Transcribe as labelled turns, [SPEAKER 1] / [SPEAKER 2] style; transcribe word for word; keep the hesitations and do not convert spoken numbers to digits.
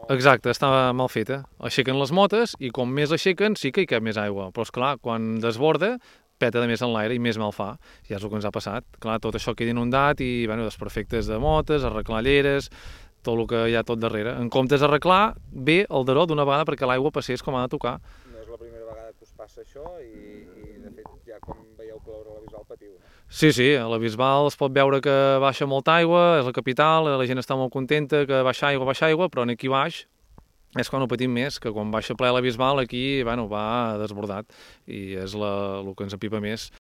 [SPEAKER 1] Exacte, està mal feta. Aixequen les motes i com més aixequen sí que hi cap més aigua, però és clar, quan desborda peta de més en l'aire i més mal fa. Ja és el que ens ha passat. Clar, tot això queda inundat i bueno, desperfectes de motes, arreglar lleres, tot el que hi ha tot darrere. En comptes d'arreglar, ve el daró d'una vegada perquè l'aigua passés com ha de tocar.
[SPEAKER 2] No és la primera vegada que us passa això i, i de fet ja quan veieu ploure a la Bisbal patiu, no?
[SPEAKER 1] Sí, sí, a la Bisbal es pot veure que baixa molta aigua, és la capital, la gent està molt contenta que baixa aigua, baixa aigua, però aquí baix és quan ho patim més, que quan baixa ple la Bisbal aquí bueno, va desbordat i és la, el que ens apipa més.